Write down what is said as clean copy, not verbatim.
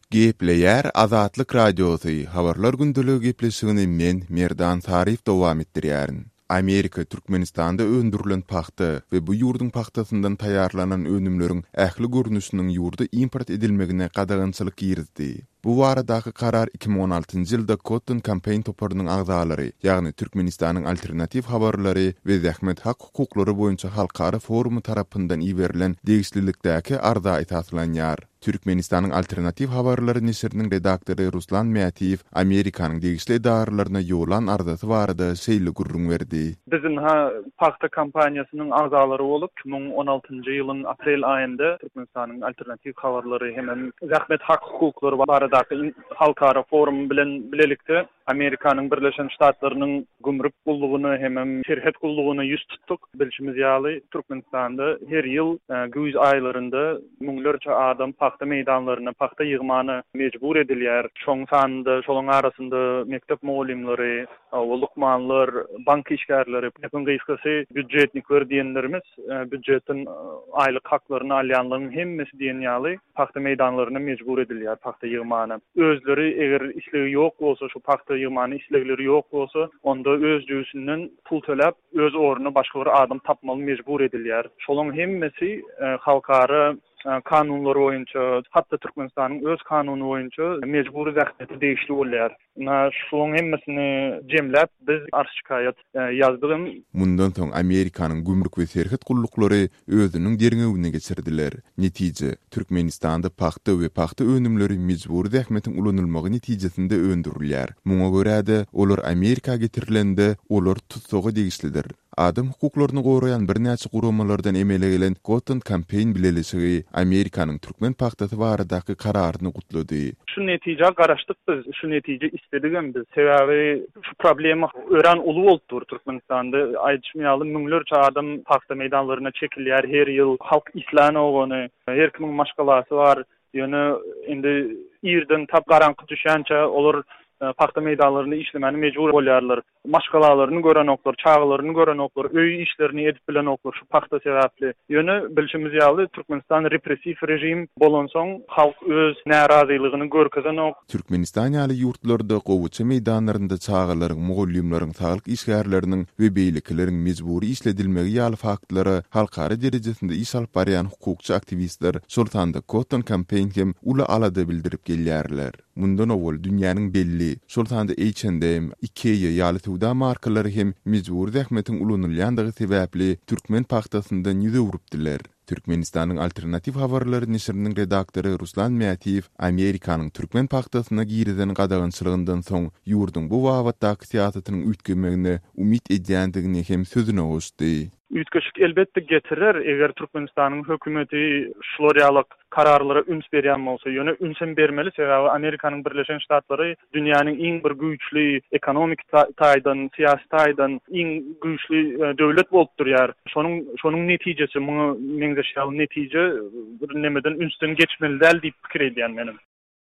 Gepleýär Azatlyk Radiosy, Habarlar gündeligi gepleşigini men, Merdan Saryýew dowam etdirýärin. Amerika Türkmenistanda öndürilen pagta we bu ýurduň pagtasyndan taýýarlanan önümleriň ähli görnüşiniň ýurda import edilmegine gadagançylyk girizdi. Bu baradaky karar 2016-njy ýylda Cotton Campaign toparynyň agzalary, ýagny Türkmenistanyň Alternatiw habarlary we zähmet hak-hukuklary boýunça halkara forumy tarapyndan iberilen degişlilikdäki arza esaslanýar. Türkmenistanyň Alternatiw habarlary neşiriniň redaktory Ruslan Mätiýew Amerikanyň degişli edaralaryna ýollan arzasy barada şeýle gürrüň berdi. Biz ynha pagta kampaniýasynyň agzalary bolup, 2016-njy ýylyň aprel aýynda Türkmenistanyň Alternatiw habarlary hemem zähmet hak-hukuklary baradaky halkara forumy bilen bilelikde Amerikanyň Birleşen Ştatlarynyň Gümrük gullugyna hemem Serhet gullugyna ýüz tutduk. Bilşimiz ýaly, Türkmenistanda her ýyl güýz aýlarynda müňlerçe adam pagta meýdanlaryna pagta ýygmana mejbur edilýär. Şoň sanynda, şolaryň arasynda mekdep mugallymlary, lukmanlar, bank işgärleri, gepiň gysgasy, býudjetnikler diýenlerimiz, býudjetden aýlyk haklaryny alýanlaryň hemmesi diýen ýaly pagta meýdanlaryna mejbur edilýär pagta ýygmana. Özleri eger islegi ýok bolsa, şu pagta ýygmana islegleri ýok bolsa, onda öz jübüsinden pul töläp, öz ornuna başga bir adam tapmaly mejbur edilýär. Şolaň hemmesi halkara kanunlary boýunça, hatda Türkmenistanyň öz kanuny boýunça mejbury zähmete degişli bolýar. Ynha, şularyň hemmesini jemläp, biz arz-şikaýat ýazdygym. Mundan soň Amerikanyň gümrük we serhet gulluklary özüniň derňewini geçirdiler. Netije, Türkmenistanda pagta we pagta önümleri mejbury zähmetiň ulanylmagy netijesinde öndürilýär. Muňa görä-de, olar Amerika getirilende, olar tussaga degişlidir. Adam hukuklaryny goraýan birnäçe guramalardan emele gelen Cotton Campaign bileleşigi Amerikanyň türkmen pagtasy baradaky kararyny gutlady. Şu netijä garaşdyk biz, şu netije isledigem biz. Sebäbi şu problema örän uly bolup dur Türkmenistanda. Aýdyşym ýaly, müňlerçe adam pagta meýdanlaryna çekilýär her ýyl. Halk islänok ony. Her kimiň maşgalasy bar. Ýöne indi irden tap garaňky düşýänçä olar pagta meýdanlarynda işlemäne mejbur bolýarlar. Maşgalalaryny görenoklar, çagalaryny görenoklar, öý işlerini edip bilenoklar şu pagta sebäpli. Ýöne bilşimiz ýaly Türkmenistan repressiw režim bolansoň halk öz närazylygyny görkezenok. Türkmenistan ýaly ýurtlarda gowaça meýdanlarynda çagalaryň, mugallymlaryň, saglyk işgärleriniň we beýlekileriň mejbury işledilmegi ýaly faktlara halkara derejesinde iş alyp barýan hukukçy aktiwistler, şol sanda Cotton Campaign hem uly alada bildirip gelýärler. Mundan owal dünýäniň belli, şol sanda H&M, Ikea ýaly söwda markalary hem mejbury zähmetiň ulanylýandygy sebäpli türkmen pagtasyndan ýüz öwrüpdiler. Türkmenistanyň Alternatiw habarlary neşiriniň redaktory Ruslan Mätiýew Amerikanyň türkmen pagtasyna girizen gadagançylygyndan soň ýurduň bu babatdaky syýasatynyň üýtgemegine umyt edýändigini hem sözüne goşdy. Üýtgeşik elbetde getirer, eger Türkmenistanyň hökümeti şular ýaly kararlara üns berýän bolsa. Ýöne ünsem bermeli, sebäbi Amerikanyň Birleşen Ştatlary dünýäniň iň bir güýçli ekonomiki taýdan, syýasy taýdan iň güýçli döwlet bolup durýar. Şonuň şonuň netijesi, muňa meňzeş ýaly netije bir nemeden ünsden geçmeli däl diýip pikir edýän menem.